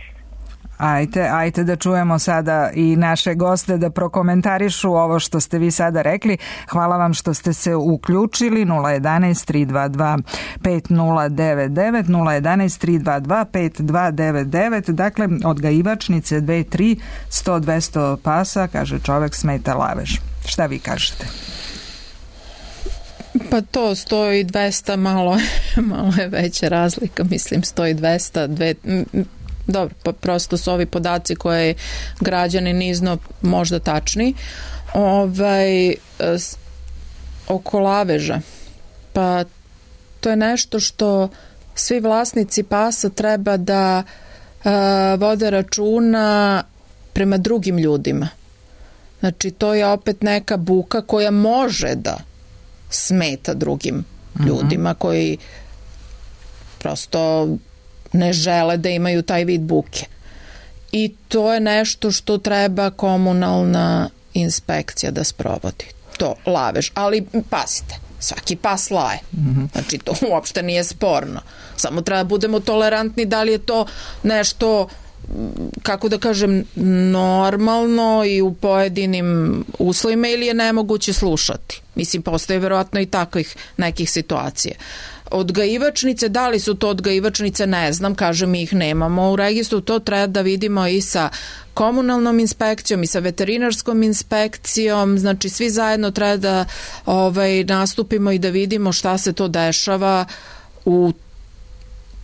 Ajte, ajte da čujemo sada i naše goste da prokomentarišu ovo što ste vi sada rekli. Hvala vam što ste se uključili. nula jedanaest tri dva dva pet nula devet devet nula jedanaest tri dva dva pet dva devet devet. Dakle, odgajivačnice dve tri sto dvesta pasa, kaže čovek, smeta lavež. Šta vi kažete? Pa to sto i dvesta malo, malo je veća razlika, mislim sto i dvesta, dve, dobro, pa prosto su ovi podaci koje građani nizno možda tačni. Ovaj, oko laveža, pa to je nešto što svi vlasnici pasa treba da uh, vode računa prema drugim ljudima. Znači, to je opet neka buka koja može da smeta drugim ljudima koji prosto ne žele da imaju taj vid buke. I to je nešto što treba komunalna inspekcija da sprovodi. To, lavež. Ali pasite, svaki pas laje. Znači, to uopšte nije sporno. Samo treba da budemo tolerantni da li je to nešto, kako da kažem, normalno i u pojedinim uslovima ili je nemoguće slušati. Mislim, postoje verovatno i takvih nekih situacija. Odgajivačnice, da li su to odgajivačnice, ne znam, kažem, ih nemamo u registru, to treba da vidimo i sa komunalnom inspekcijom i sa veterinarskom inspekcijom, znači svi zajedno treba da ovaj, nastupimo i da vidimo šta se to dešava u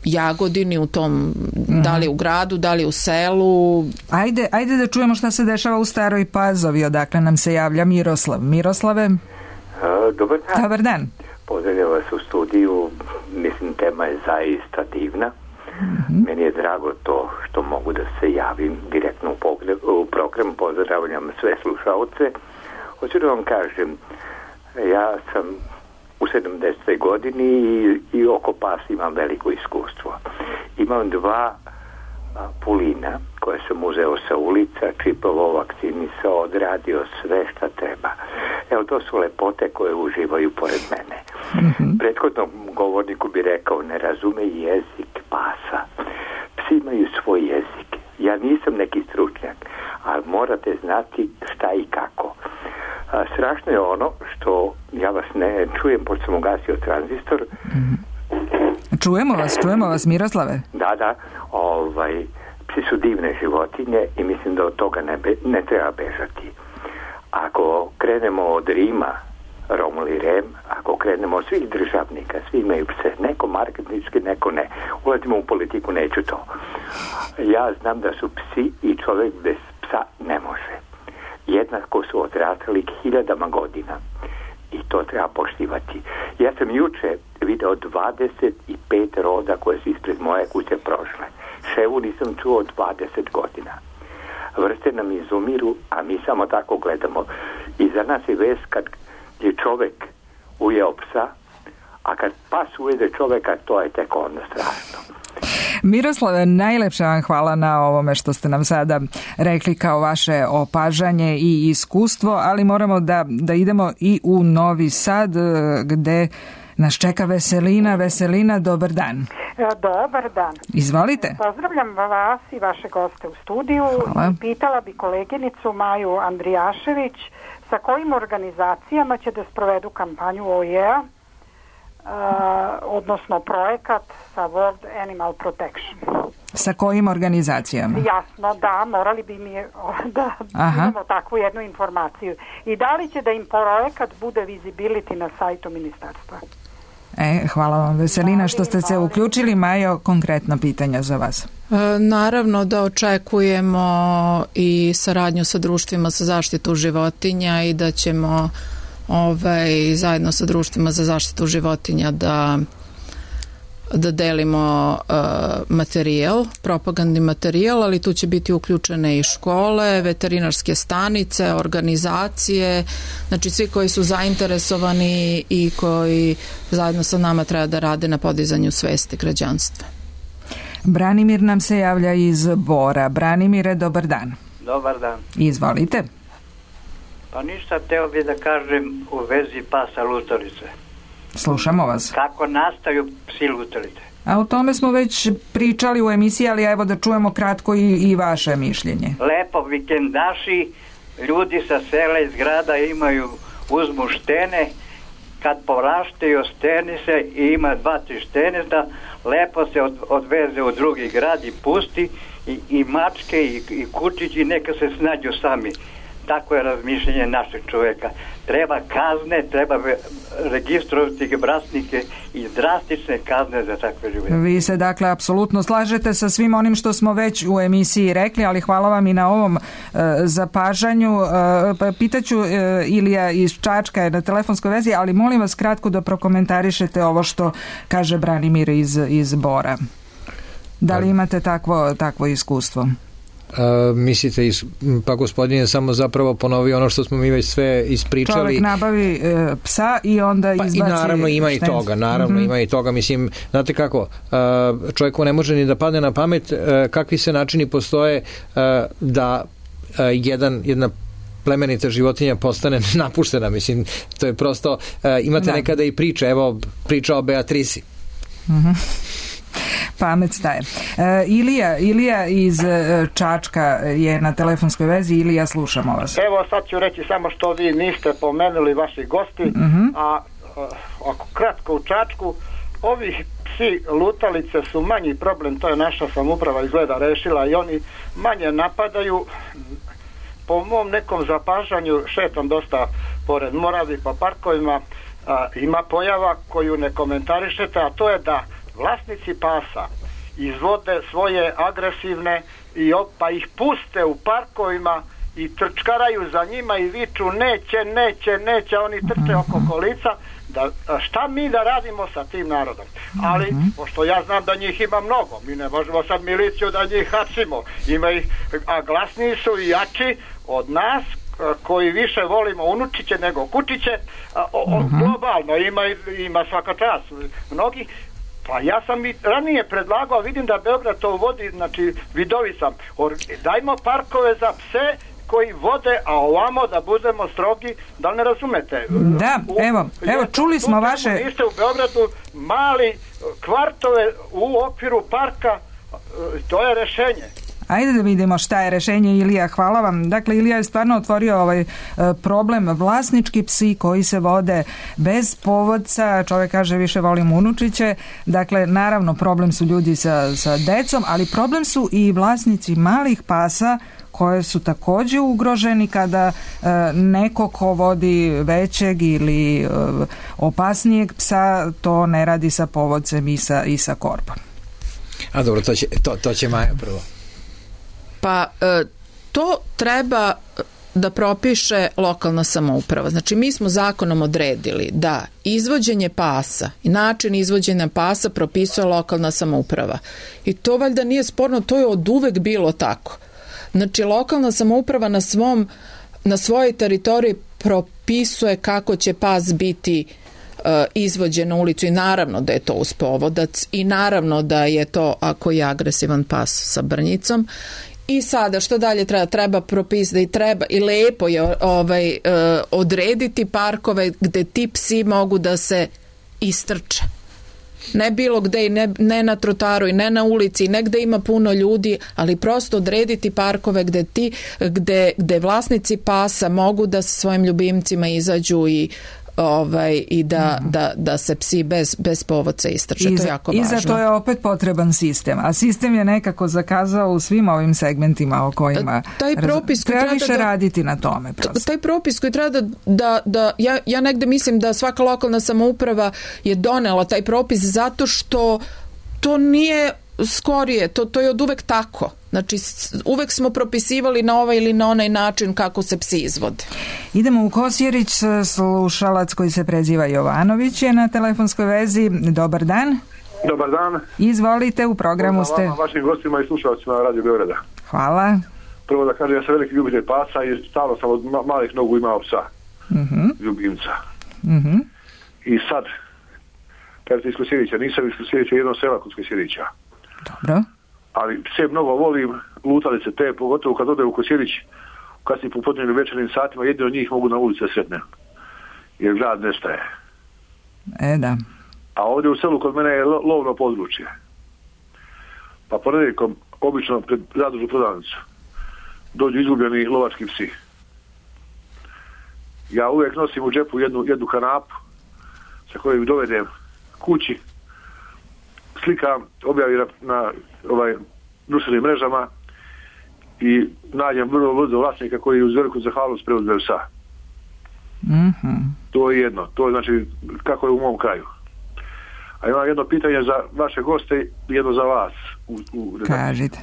Jagodini, u tom, da li u gradu, da li u selu. Ajde, ajde da čujemo šta se dešava u Staroj Pazovi, odakle nam se javlja Miroslav. Miroslave? Uh, dobar dan. Dobar dan. Pozdravljam vas u studiju, mislim tema je zaista divna. Mm-hmm. Meni je drago to što mogu da se javim direktno u, pogre, u program, pozdravljam sve slušalce. Hoću da vam kažem, ja sam u sedamdesetoj godini i, i oko pasa imam veliko iskustvo. Imam dva a, pulina koje sam uzeo sa ulica, čipovao, vakcinisao, odradio sve šta treba. Evo, to su lepote koje uživaju pored mene. Mm-hmm. Prethodnom govorniku bi rekao, ne razume jezik pasa. Psi imaju svoj jezik. Ja nisam neki stručnjak, ali morate znati šta i kako. A, strašno je ono što ja vas ne čujem, pošto sam ugasio tranzistor. Mm-hmm. Čujemo vas, čujemo vas, Miroslave. Da, da, ovaj, psi su divne životinje i mislim da od toga ne, be, ne treba bežati. Ako krenemo od Rima, Romul i Rem, ako krenemo od svih državnika, svi imaju pse, neko marketinški, neko ne. Ulazimo u politiku, neću to. Ja znam da su psi i čovjek bez psa ne može. Jednako su odrastali hiljadama godina i to treba poštivati. Ja sam juče video dvadeset pet roda koje su ispred moje kuće prošle. Ševu nisam čuo dvadeset godina. Vrste nam izumiru, a mi samo tako gledamo. I za nas je vest kad je čovek ujeo psa, a kad pas ujede čoveka, to je tek onda strašno. Miroslave, najlepše vam hvala na ovome što ste nam sada rekli kao vaše opažanje i iskustvo, ali moramo da, da idemo i u Novi Sad, gde nas čeka Veselina. Veselina, dobar dan. Dobar dan. Izvolite. Pozdravljam vas i vaše goste u studiju. Hvala. Pitala bi koleginicu Maju Andrijašević sa kojim organizacijama će da sprovedu kampanju O E A, uh, odnosno projekat sa World Animal Protection. Sa kojim organizacijama? Jasno, da, morali bi mi da Aha. imamo takvu jednu informaciju. I da li će da im projekat bude visibility na sajtu ministarstva? E, hvala vam, Veselina, što ste se uključili. Majo, konkretno pitanja za vas. E, naravno da očekujemo i saradnju sa društvima za zaštitu životinja i da ćemo ovaj, zajedno sa društvima za zaštitu životinja da da delimo uh, materijal, propagandni materijal, ali tu će biti uključene i škole, veterinarske stanice, organizacije, znači svi koji su zainteresovani i koji zajedno sa nama treba da rade na podizanju svesti građanstva. Branimir nam se javlja iz Bora. Branimire, dobar dan. Dobar dan. Izvolite. Pa ništa, teo bi da kažem u vezi pasa lutalice. Slušamo vas. Kako nastaju psi lutalice? A o tome smo već pričali u emisiji, ali evo da čujemo kratko i, i vaše mišljenje. Lepo, vikendaši, ljudi sa sela iz grada imaju, uzmu štene, kad poraštaju steni se i ima dva, tri šteneta, lepo se od, odveze u drugi grad i pusti i, i mačke i, i kučići neka se snađu sami. Tako je razmišljenje našeg čovjeka. Treba kazne, treba registrovati vlasnike i drastične kazne za takve ljude. Vi se dakle apsolutno slažete sa svim onim što smo već u emisiji rekli, ali hvala vam i na ovom uh, zapažanju. Uh, pitaću uh, Ilija iz Čačka je na telefonskoj vezi, ali molim vas kratko da prokomentarišete ovo što kaže Branimir iz, iz Bora. Da li imate takvo, takvo iskustvo? Uh, mislite, pa gospodin je samo zapravo ponovio ono što smo mi već sve ispričali. Čovjek nabavi e, psa i onda pa izbaci... I naravno ima i toga, naravno mm-hmm. ima i toga, mislim, znate kako, uh, čovjeku ne može ni da padne na pamet uh, kakvi se načini postoje uh, da uh, jedan, jedna plemenita životinja postane napuštena, mislim, to je prosto, uh, imate da. Nekada i priče, evo priča o Beatrisi. Mhm. Pamet staje. E, Ilija, Ilija iz Čačka je na telefonskoj vezi. Ilija, slušamo vas. Evo sad ću reći samo što vi niste pomenuli vaši gosti, mm-hmm. a, a ako kratko u Čačku, ovi psi lutalice su manji problem, to je naša samouprava izgleda rešila i oni manje napadaju. Po mom nekom zapažanju šetam dosta pored Moravi pa parkovima, a, ima pojava koju ne komentarišete, a to je da vlasnici pasa izvode svoje agresivne i pa ih puste u parkovima i trčkaraju za njima i viču neće, neće, neće, oni trče oko kolica. Da, šta mi da radimo sa tim narodom? Ali, pošto ja znam da njih ima mnogo, mi ne možemo sad miliciju da njih hapsimo. Ima ih, a glasniji su i jači od nas, koji više volimo unučiće nego kučiće, a, o, o, globalno ima, ima svaka čast. Mnogi. Pa ja sam i ranije predlagao, vidim da Beograd to uvodi, znači vidovi sam, dajmo parkove za pse koji vode, a ovamo da budemo strogi, da li ne razumete? Da, evo, evo čuli smo vaše... Niste u Beogradu mali kvartove u okviru parka, to je rešenje. Ajde da vidimo šta je rešenje, Ilija, hvala vam. Dakle, Ilija je stvarno otvorio ovaj problem, vlasnički psi koji se vode bez povodca, čovjek kaže više volim unučiće, dakle, naravno problem su ljudi sa, sa decom, ali problem su i vlasnici malih pasa koje su također ugroženi kada e, neko ko vodi većeg ili e, opasnijeg psa to ne radi sa povodcem i sa, i sa korbom. A dobro, to će, to, to će Maja prvo. Pa e, to treba da propiše lokalna samouprava. Znači mi smo zakonom odredili da izvođenje pasa i način izvođenja pasa propisuje lokalna samouprava. I to valjda nije sporno, to je od uvek bilo tako. Znači lokalna samouprava na svom na svojoj teritoriji propisuje kako će pas biti uh, izvođen na ulicu i naravno da je to uz povodac i naravno da je to ako je agresivan pas sa brnjicom. I sada što dalje treba? Treba propisati i treba i lepo je ovaj, uh, odrediti parkove gde ti psi mogu da se istrče. Ne bilo gde i ne, ne na trotaru i ne na ulici, ne gde ima puno ljudi, ali prosto odrediti parkove gde ti, gde, gde vlasnici pasa mogu da sa svojim ljubimcima izađu i ovaj i da, mm. da, da se psi bez, bez povodca istrče. I, to je jako važno. I za to je opet potreban sistem. A sistem je nekako zakazao u svim ovim segmentima o kojima taj propis koji treba više da, raditi na tome. Prosto. Taj propis koji treba da, da, da ja, ja negde mislim da svaka lokalna samouprava je donela taj propis zato što to nije skorije, to, to je od uvek tako. Znači, uvek smo propisivali na ovaj ili na onaj način kako se psi izvode. Idemo u Kosjerić, slušalac koji se preziva Jovanović je na telefonskoj vezi. Dobar dan. Dobar dan. Izvolite, u programu ste. Hvala vašim gostima i slušalcima na Radio Beograda. Hvala. Prvo da kažem, ja sam veliki ljubitelj pasa i stalno sam od malih nogu imao psa. Uh-huh. Ljubimca. Uh-huh. I sad, kažete iz Kosjerića, nisam iz Kosjerića, jedno sela kod Kosjerića. Dobro. Ali pse mnogo volim, lutalice te, pogotovo kad ode u Kosjerić, kad si popodnevnim večernim satima, jedni od njih mogu na ulici sretne. Jer grad nestaje. E, da. A ovdje u selu kod mene je lo, lovno područje. Pa ponedjeljkom, obično pred zadužnu prodavnicu, dođu izgubljeni lovački psi. Ja uvijek nosim u džepu jednu, jednu kanapu sa kojom dovedem kući, slikam, objavim na, na ovaj, društvenim mrežama i nađem vrlo brzo vlasnika koji uz veliku zahvalnost preuzme psa. Mm-hmm. To je jedno. To je znači kako je u mom kraju. A imam jedno pitanje za vaše goste i jedno za vas. U, u Kažite.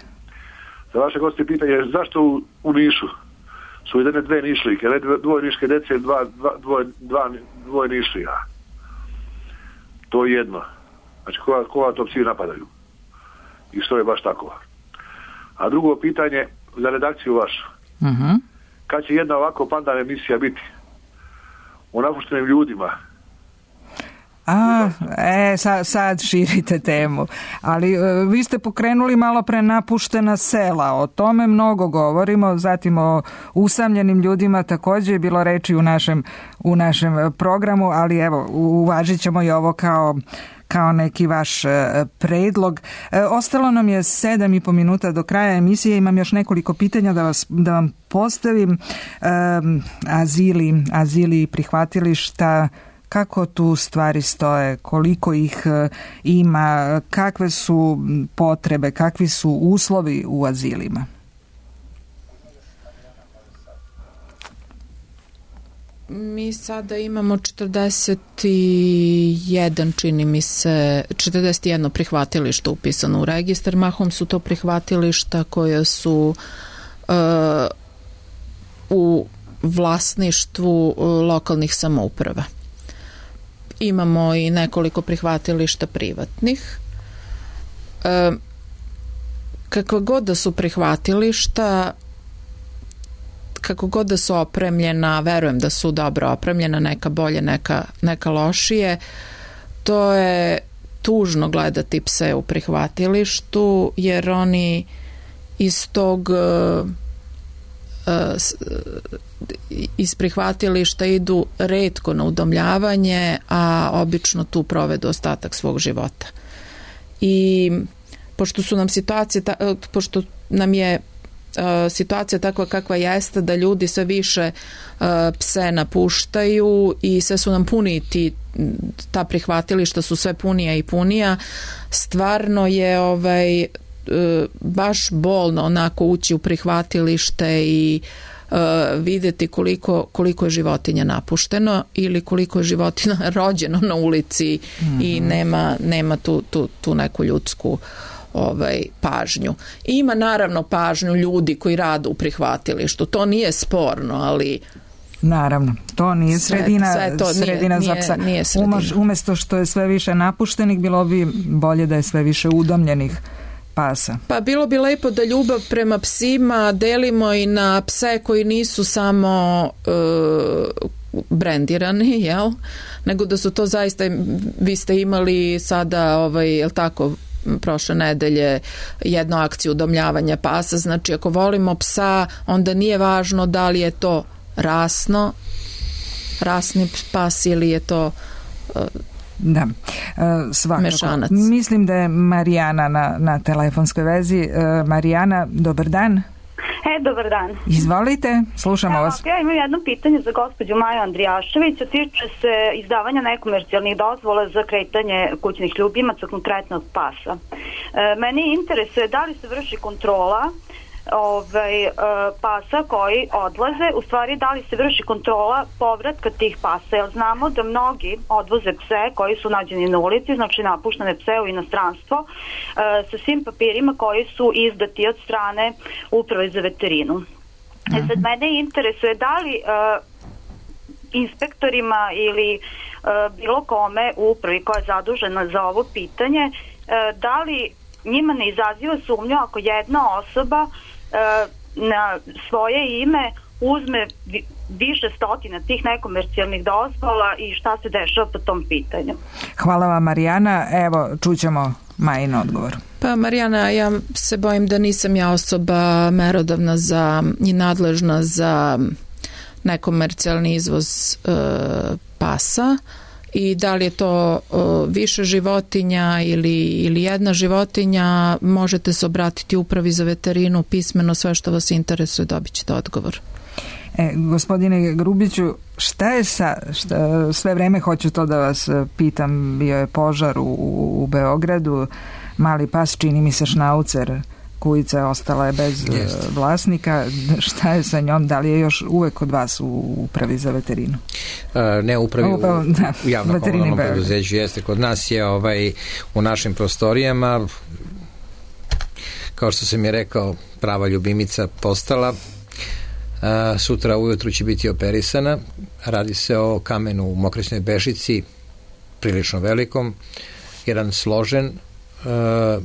Za vaše goste pitanje je zašto u, u Nišu su jedne dve nišlike, dvoje niške dece, dva, dva, dvoje, dva, dvoje nišlija. To je jedno. Znači, koga, koga to psi napadaju? I što je baš tako? A drugo pitanje za redakciju vašu. Uh-huh. Kad će jedna ovako pandan emisija biti o napuštenim ljudima? A, e, sad, sad širite temu. Ali e, vi ste pokrenuli malo pre napuštena sela. O tome mnogo govorimo. Zatim o usamljenim ljudima također je bilo reči u našem, u našem programu, ali evo, uvažit ćemo i ovo kao kao neki vaš e, predlog. E, ostalo nam je sedam i po minuta do kraja emisije. Imam još nekoliko pitanja da, vas, da vam postavim. E, azili, azili i prihvatilišta, kako tu stvari stoje, koliko ih e, ima, kakve su potrebe, kakvi su uslovi u azilima? Mi sada imamo četrdeset jedan, čini mi se, četrdeset jedno prihvatilište upisano u registar. Mahom su to prihvatilišta koje su uh, u vlasništvu lokalnih samouprava. Imamo i nekoliko prihvatilišta privatnih. Uh, kakva god da su prihvatilišta, kako god da su opremljena, verujem da su dobro opremljena, neka bolje, neka, neka lošije, to je tužno gledati pse u prihvatilištu, jer oni iz tog uh, iz prihvatilišta idu retko na udomljavanje, a obično tu provedu ostatak svog života. I pošto su nam situacije, pošto nam je situacija takva kakva jeste, da ljudi sve više pse napuštaju i sve su nam puni ti, ta prihvatilišta su sve punija i punija, stvarno je ovaj baš bolno onako ući u prihvatilište i uh, vidjeti koliko, koliko je životinja napušteno ili koliko je životinja rođeno na ulici mm-hmm. i nema, nema tu, tu, tu neku ljudsku ovaj, pažnju. Ima naravno pažnju ljudi koji rade u prihvatilištu, to nije sporno, ali naravno, to nije sredina, sve, sve to sredina nije, za psa. Nije sredina. Umjesto što je sve više napuštenih, bilo bi bolje da je sve više udomljenih pasa. Pa bilo bi lepo da ljubav prema psima delimo i na pse koji nisu samo uh, brendirani, jel? Nego da su to zaista, vi ste imali sada, ovaj, jel tako, prošle nedelje jednu akciju udomljavanja pasa, znači ako volimo psa, onda nije važno da li je to rasno, rasni pas ili je to uh, da, svakako. Mešanac. Mislim da je Marijana na, na telefonskoj vezi. Marijana, dobar dan. E, dobar dan. Izvolite, slušamo ja, vas. Ja imam jedno pitanje za gospođu Maju Andrijašević, a tiče se izdavanja nekomercijalnih dozvola za kretanje kućnih ljubimaca, konkretnog pasa. E, meni interesuje da li se vrši kontrola ovaj, pasa koji odlaze, u stvari da li se vrši kontrola povratka tih pasa, jer znamo da mnogi odvoze pse koji su nađeni na ulici, znači napuštene pse u inostranstvo, sa svim papirima koji su izdati od strane Uprave za veterinu. E sad, mene interesuje da li inspektorima ili bilo kome u upravi koja je zadužena za ovo pitanje, da li njima ne izaziva sumnju ako jedna osoba na svoje ime uzme više stotina tih nekomercijalnih dozvola i šta se dešava po tom pitanju. Hvala vam, Marijana. Evo, čućemo Majin odgovor. Pa Marijana, ja se bojim da nisam ja osoba merodavna za i nadležna za nekomercijalni izvoz e, pasa. I da li je to o, više životinja ili, ili jedna životinja, možete se obratiti Upravi za veterinu pismeno, sve što vas interesuje dobit ćete odgovor. E, gospodine Grubiću, šta je sa, šta, sve vreme hoću to da vas pitam, bio je požar u, u Beogradu, mali pas, čini mi se šnaucer, kujica ostala je bez Jest. vlasnika. Šta je sa njom? Da li je još uvek kod vas u Upravi za veterinu? Uh, ne, upravi u, da, u javnom komunalnom preduzeću jeste. Kod nas je ovaj, u našim prostorijama, kao što sam je rekao, prava ljubimica postala. Uh, sutra ujutru će biti operisana. Radi se o kamenu u Mokresnoj Bežici, prilično velikom, jedan složen, uh,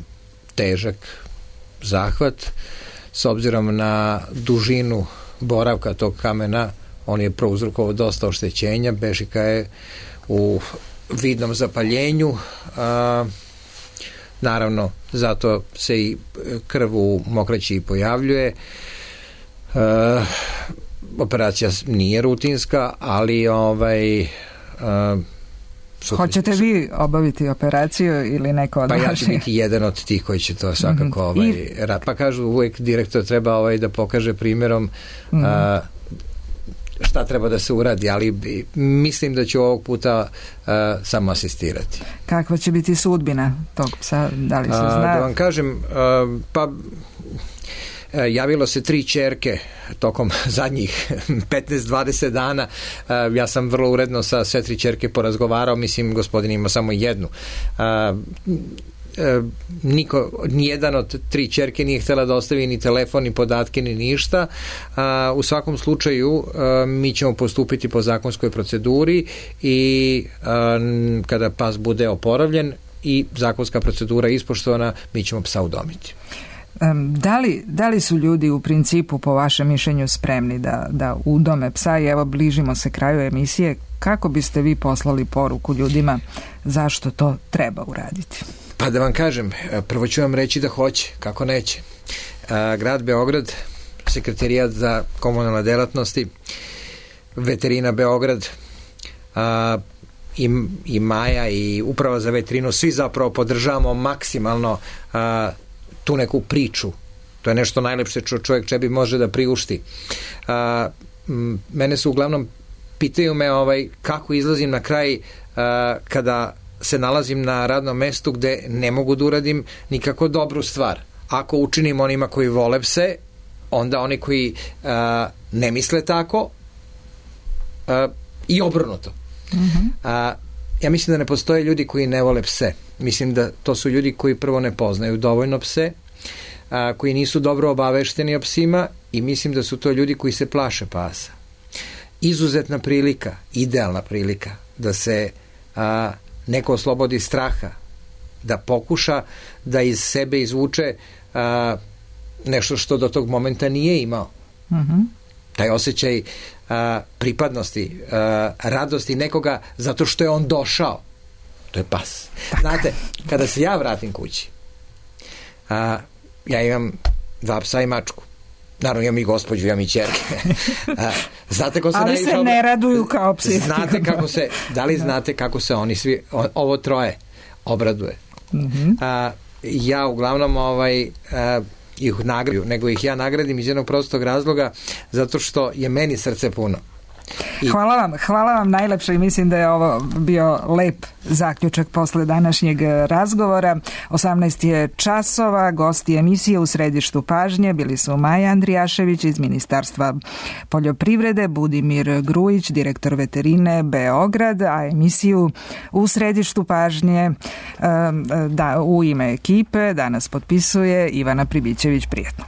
težak zahvat. S obzirom na dužinu boravka tog kamena, on je prouzrokovao dosta oštećenja. Bežika je u vidnom zapaljenju. A, naravno, zato se i krv u mokraći pojavljuje. A, operacija nije rutinska, ali ovaj a, hoćete vi obaviti operaciju ili neko od pa vaših? Ja ću biti jedan od tih koji će to svakako mm-hmm. ovaj, I... pa kažu uvijek direktor treba ovaj da pokaže primjerom mm-hmm. a, šta treba da se uradi, ali mislim da ću ovog puta a, samo asistirati. Kakva će biti sudbina tog psa, da li se zna? A, da vam kažem, a, pa javilo se tri ćerke tokom zadnjih petnaest dvadeset dana. Ja sam vrlo uredno sa sve tri ćerke porazgovarao, mislim gospodin ima samo jednu. Niko, nijedan od tri ćerke nije htjela da ostavi ni telefon, ni podatke, ni ništa. U svakom slučaju mi ćemo postupiti po zakonskoj proceduri i kada pas bude oporavljen i zakonska procedura ispoštovana, mi ćemo psa udomiti. Da li, da li su ljudi u principu po vašem mišljenju spremni da, da udome psa i evo bližimo se kraju emisije, kako biste vi poslali poruku ljudima zašto to treba uraditi? Pa da vam kažem, prvo ću vam reći da hoće, kako neće. Grad Beograd Sekretarijat za komunalne delatnosti, Veterina Beograd, a, i, i Maja i Uprava za veterinu, svi zapravo podržavamo maksimalno a, tu neku priču. To je nešto najlepše što čovjek čebi može da priušti. A, m, mene su uglavnom pitaju me ovaj, kako izlazim na kraj a, kada se nalazim na radnom mestu gde ne mogu da uradim nikako dobru stvar. Ako učinim onima koji vole pse, onda oni koji a, ne misle tako, a, i obrnuto. Mm-hmm. A, ja mislim da ne postoje ljudi koji ne vole pse. Mislim da to su ljudi koji prvo ne poznaju dovoljno pse, a, koji nisu dobro obavešteni o psima, i mislim da su to ljudi koji se plaše pasa. Izuzetna prilika, idealna prilika da se a, neko oslobodi straha, da pokuša da iz sebe izvuče a, nešto što do tog momenta nije imao. Mm-hmm. Taj osjećaj a, pripadnosti, a, radosti nekoga zato što je on došao. To je pas. Tako. Znate, kada se ja vratim kući, a, ja imam dva psa i mačku. Naravno, imam i gospođu, imam i ćerke. A, znate ko se ali se ob... ne raduju kao psi. Znate kako se, da li znate kako se oni svi, ovo troje, obraduje? Mm-hmm. A, ja uglavnom ovaj, a, ih nagradim, nego ih ja nagradim iz jednog prostog razloga, zato što je meni srce puno. I... Hvala vam, hvala vam najlepše, i mislim da je ovo bio lep zaključak posle današnjeg razgovora. osamnaest je časova, gosti emisije u središtu pažnje bili su Maja Andrijašević iz Ministarstva poljoprivrede, Budimir Grujić, direktor veterine Beograd, a emisiju u središtu pažnje da, u ime ekipe danas potpisuje Ivana Pribićević. Prijetno.